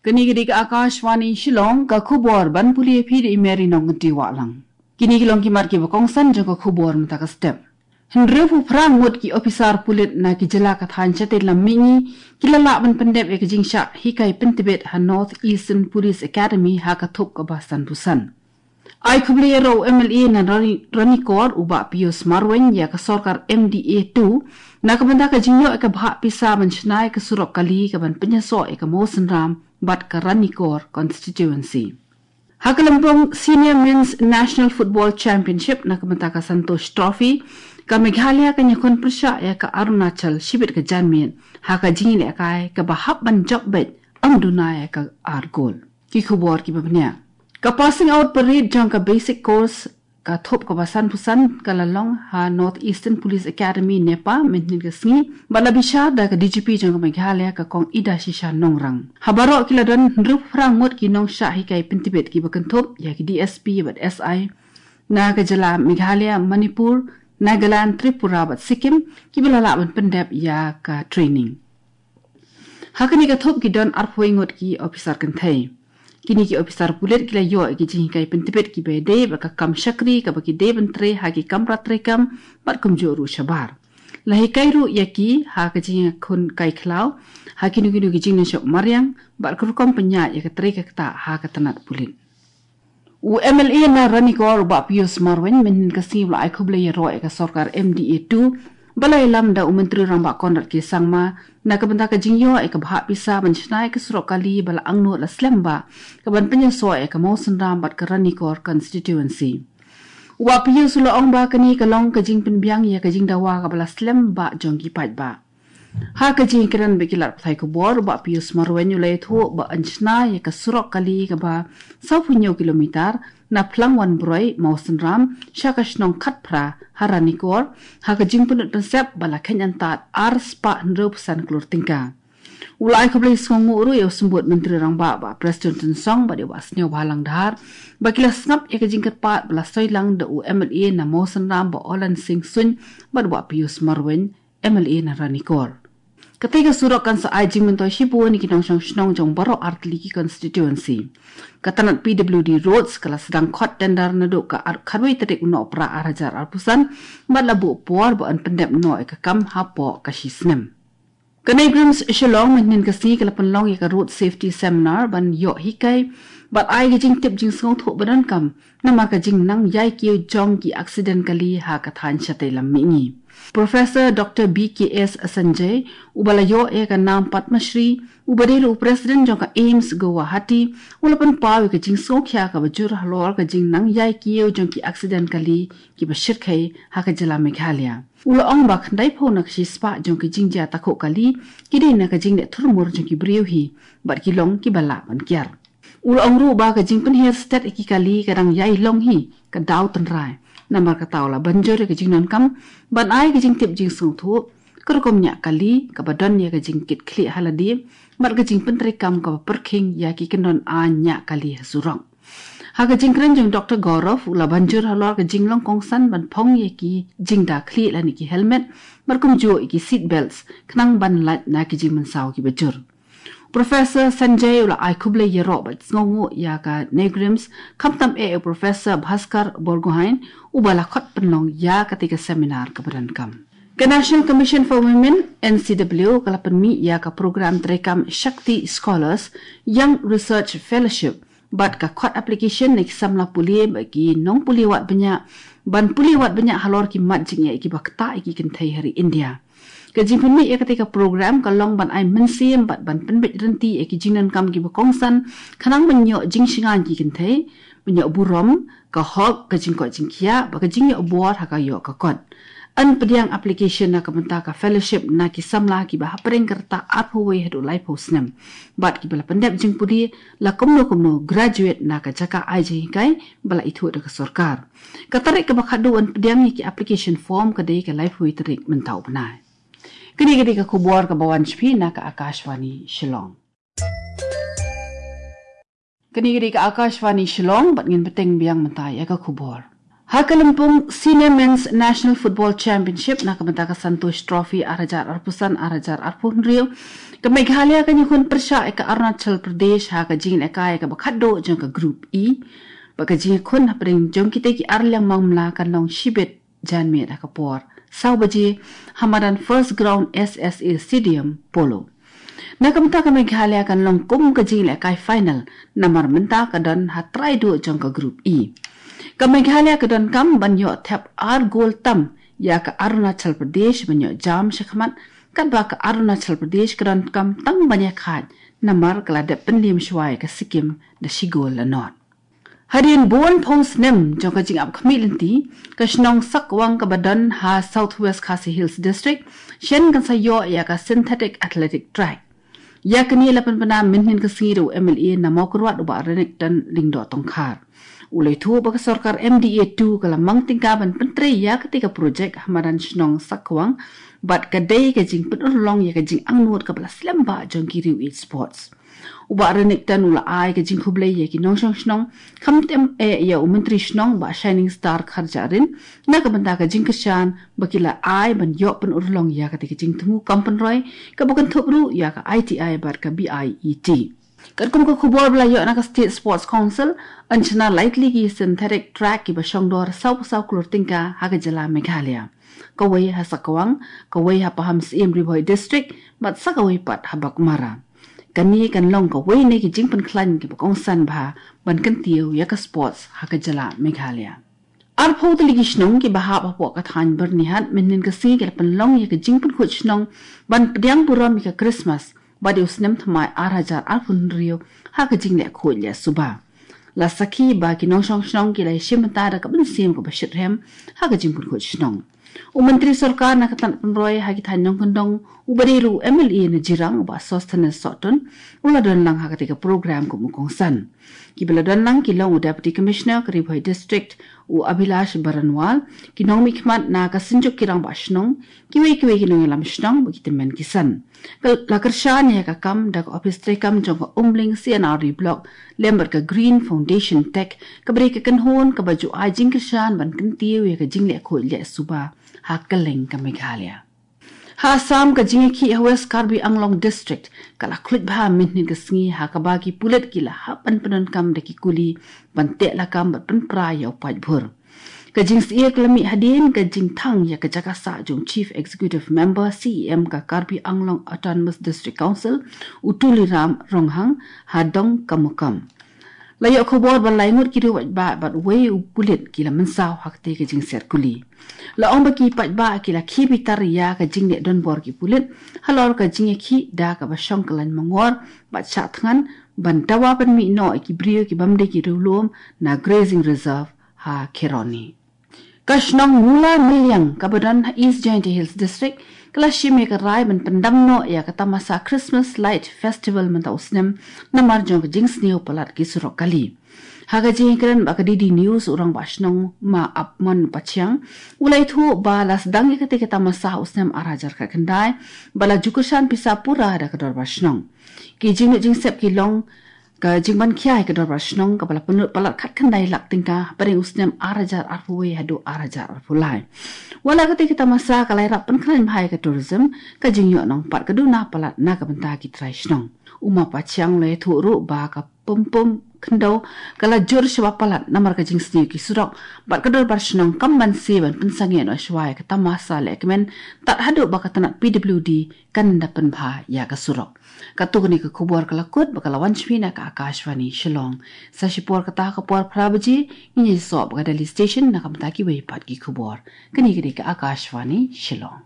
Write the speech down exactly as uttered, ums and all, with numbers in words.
Kane ka dei ka Akashvani Shillong, ka khubor ban pule ïa phi da i Mary Nongkynrih Wahlang. Kine ki long ki mat kiba kongsan jong ka khubor mynta ka step. Hynriewphew phra ngut ki ophisar pulit na ki jylla ka thaiñ shatei lam mihngi ki la lah ban pyndep ïa ka jingshah hikai pyntbit ha North Eastern Police Academy ha ka thup kaba sanphew san. Ai khublei ïa u M L A na Rani-, Ranikor u Bah Pius Marwein ïa ka sorkar M D A two na ka bynta ka jingïoh ïa ka bhah pisa ban shna ïa ka surok kali kaban pynïasoh ïa ka Mawsynram bad ka Ranikor constituency. Ha ka lympung Senior Men's National Football Championship na ka bynta ka Santosh Trophy, ka Meghalaya kan ïakhun pyrshah ïa ka Arunachal shibit ka janmiet ha ka jingïalehkai kaba hap ban jop beit, ym duna ïa ka ar gol. Ki khubor kiba bniah. Ka passing out parade jong ka basic course ka thup kaba sanphew san ka la long ha North Eastern Police Academy, NEPA, mynhynnin ka sngi bad la bishar da ka D G P jong ka Meghalaya, ka Kong Idashisha Nongrang. Ha baroh ki la don hynriewphew phra ngut ki nongshah hikai pyntbit kiba kynthup ïa ki D S P bad S I na ka jylla Meghalaya, Manipur, Nagaland, Tripura bad Sikkim kiba la lah ban pyndep ïa ka training. Ha kane ka thup ki don arphew ngut ki ophisar kynthei. Kine ki ophisar pulit ki la ïoh ïa ki jinghikai pyntbit kiba ïadei bad ka kam shakri kaba ki dei ban trei ha ki kamra treikam bad kumjuh ruh shabar. La hikai ruh ïa ki ha ka jingïakhun kai khlaw ha kino kino ki jinglong shop mariang bad ka rukom pynïaid ïa ka trei ka ktah ha ka tnat pulit. U M L A na Ranikor u Bah Pius Marwein mynhynnin ka sngi u la ai khublei ïaroh ïa ka sorkar M D A two ba la ïalam da u Myntri Rangbah Conrad K Sangma na ka bynta ka jingïoh ïa ka bhah pisa ban shna ïa ka surok kali ba la angnud la slem bha kaban pynïasoh ïa ka Mawsynram bad ka Ranikor constituency. U Bah Pius u la ong ba kane ka long ka jingpynbiang ïa ka jingdawa kaba la slem bha jong ki paidbah. Ha ka jingkren bad ki lad pathai khubor, u Bah Pius Marwein u la ïathuh ba yn shna ïa ka surok kali kaba sawphew hynñiew kilometer na Phlangwanbroi, Mawsynram sha ka shnong Khatphra ha Ranikor ha ka jingpynlut pynsep ba la kheiñ antad ar spah hynriewphew san klur tyngka. U la ai khublei sngewnguh ruh ïa u Symbud Myntri Rangbah Bah Prestone Tynsong bad ïa u Bah Sniawbhalang Dhar ba ki la sngap ïa ka jingkyrpad ba la soi lang da u M L A na Mawsynram Bah Olan Singh Suin bad u Bah Pius Marwein, M L A na Ranikor. Katei ka surok kan sa ai jingmyntoi shibun ïa ki nongshong shnong jong baroh artylli ki constituency. Ka tnat P W D Roads ka la sdang khot tender naduh ka ar-, khatwei tarik u Nohprah ar hajar arphew san bad la buh por ba yn pyndep noh ïa ka kam hapoh ka shi snem. Ka NEIGRIHMS Shillong mynhynnin ka sngi ka la pynlong ïa ka Road Safety Seminar ban ïoh hikai bad ai ka jingtip jingsngewthuh ba donkam namar ka jingnang ïai kiew jong ki aksiden kali ha ka thaiñ shatei lam mihngi. Professor Doctor B K S Sanjay, uba la ïoh ïa ka nam Padma Shri, uba dei ruh u President jong ka AIIMS Guwahati, u la pynpaw ïa ka jingsngewkhia kaba jur halor ka jingnang ïai kiew jong ki aksiden kali kiba shyrkhei ha ka jylla Meghalaya. U la ong ba khyndaiphew na ka shispah jong ki jingjia takhuh kali ki dei na ka jingleh thurmur jong ki briew hi bad ki long kiba lah ban kiar. U la ong ruh ba ka jingpynhiar stet ïa ki kali ka dang ïai long hi, ka daw tynrai. Namar kata u la ban jur ïa ka jingdonkam ban ai ka jingtip jingsngewthuh, ka rukom ñiah kali kaba don ïa ka jingkitkhlieh ha lade bad ka jingpyntreikam kaba pyrkhing ïa ki kyndon aiñ ñiah kali ha surok. Ha ka jingkren jong Doctor Gaurav, u la ban jur halor ka jinglong kongsan ban phong ïa ki jingda khlieh lane ki helmet bad kumjuh ïa ki seat belts khnang ban lait na ki jingmynsaw kiba jur. Professor Sanjay u la ai khublei ïaroh bad sngewnguh ïa ka NEIGRIHMS, khamtam eh ïa u Professor Bhaskar Borgohain, uba la khot pynlong ïa katei ka seminar kaba donkam. Ka National Commission for Women, N C W, ka la pynmih ïa ka program treikam Shakti Scholars Young Research Fellowship bad ka khot application na ki samla pule bad ki nongpule wad bniah ban pule wad bniah halor ki mat jingeh kiba ktah ïa ki kynthei ha ri India. Ka jingpynmih ïa katei ka program ka long ban ai mynsiem bad ban pynbeit rynti ïa ki jingdonkam kiba kongsan khnang ban ïoh jingshngaiñ ki kynthei, ban ïoh burom, ka hok, ka jingkoit jingkhiah bad ka jingïoh bor ha ka ïoh ka kot. Yn pdiang application na ka bynta ka fellowship na ki samla kiba hapdeng ka rta arphew wei haduh laiphew snem bad kiba la pyndep jingpule la kumno kumno graduate na ka jaka ai jinghikai ba la ithuh da ka sorkar. Ka tarik kaba khatduh ban pdiang ïa ki application form ka dei ka laiphew wei tarik mynta u bnai. Kane ka dei ka khubor kaba wan sha phi na ka Akashvani Shillong. Kane ka dei ka Akashvani Shillong bad ngin bteng biang mynta ïa ka khubor. Ha ka lympung Senior Men's National Football Championship na ka bynta ka Santosh Trophy ar hajar arphew san ar hajar arphew hynriew, ka Meghalaya kan ïakhun pyrshah ïa ka Arunachal Pradesh ha ka jingïalehkai kaba khatduh jong ka Group E. Bad ka jingïakhun hapdeng jong kita ki ar liang mawmla kan long shibit janmiet ha ka por saw baje ha madan First Ground S S A Stadium, Polo. Na ka bynta ka Meghalaya kan long kum ka jingïalehkai final, namar mynta ka don ha trai duh jong ka Group E. Ka Meghalaya ka donkam ban ïoh thep ar gol tam ïa ka Arunachal Pradesh ban ïoh jam shakhmat, katba ka Arunachal Pradesh ka donkam tang ban ïakhaid, namar ka la dep pynliem shuwa ïa ka Sikkim da shi gol la nod. Hadien bun phew snem jong ka jingap khmih lynti, ka shnong Sakwang kaba don ha South West Khasi Hills District shen kan sa ïoh ïa ka synthetic athletic track. Ïa kane la pynbna mynhynnin ka sngi da u M L A na Mawkyrwat, u Bah Renikton Lyngdoh Tongkhar. U la ïathuh ba ka sorkar M D A two ka la mang tyngka ban pyntrei ïa kata ka projek ha madan shnong Sakwang, bad ka dei ka jingpynurlong ïa ka jingangnud kaba la slem bha jong ki riew ïeit sports. U Bah Renikton u la ai ka jingkhublei ïa ki nongshong shnong, khamtam eh ïa u Myntri Shnong Bah Shining Star Kharjahrin na ka bynta ka jingkyrshan ba ki la ai ban ïoh pynurlong ïa kata ka jingthmu kam pynroi, kaba kynthup ruh ïa ka I T I bad ka B I E T. Katkum ka khubor ba la ïoh na ka State Sports Council, yn shna lai tylli ki synthetic track kiba shongdor saw phew saw klur tyngka ha ka jylla Meghalaya. Kawei ha Sakwang, kawei ha Pahamsyiem, Ri Bhoi District, bad sa kawei pat ha Baghmara. Kane kan long kawei na ki jingpynkhlaiñ kiba kongsan bha ban kyntiew ïa ka sports ha ka jylla Meghalaya. Arphew tylli ki shnong kiba hap hapoh ka thaiñ Byrnihat mynhynnin ka sngi ki la pynlong ïa ka jingpynkhuid shnong ban pdiang burom ïa ka Christmas bad ïa u snem thymmai ar hajar arphew hynriew ha ka jingleh khuid leh suba. La sakhi ba ki nongshong shnong ki la ïashim bynta da ka mynsiem kaba shitrhem ha ka jingpynkhuid shnong. U Myntri Sorkar na ka tnat pynroi ha ki thaiñ nongkyndong, uba dei ruh u M L A na Jirang, u Bah Sosthenes Sohtun, u la don lang ha kata ka program kum u kongsan. Kiba la don lang ki long u Deputy Commissioner ka Ri Bhoi District, u Abhilash Baranwal, ki nongmihkhmat na ka Synjuk ki Rangbah Shnong, kiwei kiwei ki nongïalam shnong bad ki tymmen ki san. Ka la kyrshan ïa ka kam da ka ophis treikam jong ka Umling C and R D Block lem bad ka Green Foundation Tech, kaba dei ka kynhun kaba ju ai jingkyrshan ban kyntiew ïa ka jingleh khuid leh suba ha kylleng ka Meghalaya. Ha Assam, ka jingïakhih ha West Karbi Anglong District ka la khluit bha mynhynnin ka sngi, ha kaba ki pulit ki la hap ban pyndonkam da ki kuli ban teh lakam bad pynpra ïa u paidbah. Ka jingsyier ka la mih hadien ka jingthang ïa ka jaka sah jong Chief Executive Member, C E M, ka Karbi Anglong Autonomous District Council, u Tuliram Ronghang, ha Dongkamukam. La ïoh khubor ba lai ngut ki riew paidbah bad uwei u pulit ki la mynsaw ha kata ka jingsiat kuli. La ong ba ki paidbah ki la khie bitar ïa ka jingleh donbor ki pulit halor ka jingïakhih da kaba shong kyllain mangor bad shah thngan ban dawa ban mih noh ïa ki briew ki bym dei ki riewlum na Grazing Reserve ha Kheroni. Ka shnong Mula Mylliem kaba don ha East Jaintia Hills District ka la shim ïa ka rai ban pyndam noh ïa ka tamasa Christmas Light Festival mynta u snem, namar jong ka jingsniew palat ki surok kali. Ha ka jingïakren bad ka D D News, u Rangbah Shnong Ma Apmon Pathiang u la ïathuh ba la sdang ïa kata ka tamasa ha u snem ar hajar khatkhyndai, ba la ju kyrshan pisa pura da ka Dorbar Shnong. Ki jingmut jingsep ki long ka jingban khia ïa ka Dorbar Shnong kaba la pynlut palat khatkhyndai lak tyngka hapdeng u snem ar hajar arphew wei haduh ar hajar arphew lai. Wat la kata ka tamasa ka la ïarap pynkhlaiñ bha ïa ka tourism, ka jingïoh nongpat ka duna palat na ka bynta ki trai shnong. U Ma Pathiang u la ïathuh ruh ba ka pum pum khyndew ka la jur shaba palat namar ka jingsniew ki surok, bad ka Dorbar Shnong kam banse ban pynsangeh noh shwa ïa ka tamasa lehkmen tad haduh ba ka tnat P W D kan da pynbha ïa ka surok. Katto katne ka khubor ka la kut bad ka la wan sha phi na ka Akashvani Shillong. Sa shipor kata, ka por phra baje ngin ïasoh bad ka Delhi Station na ka bynta kiwei pat ki khubor. Kane ka dei ka Akashvani Shillong.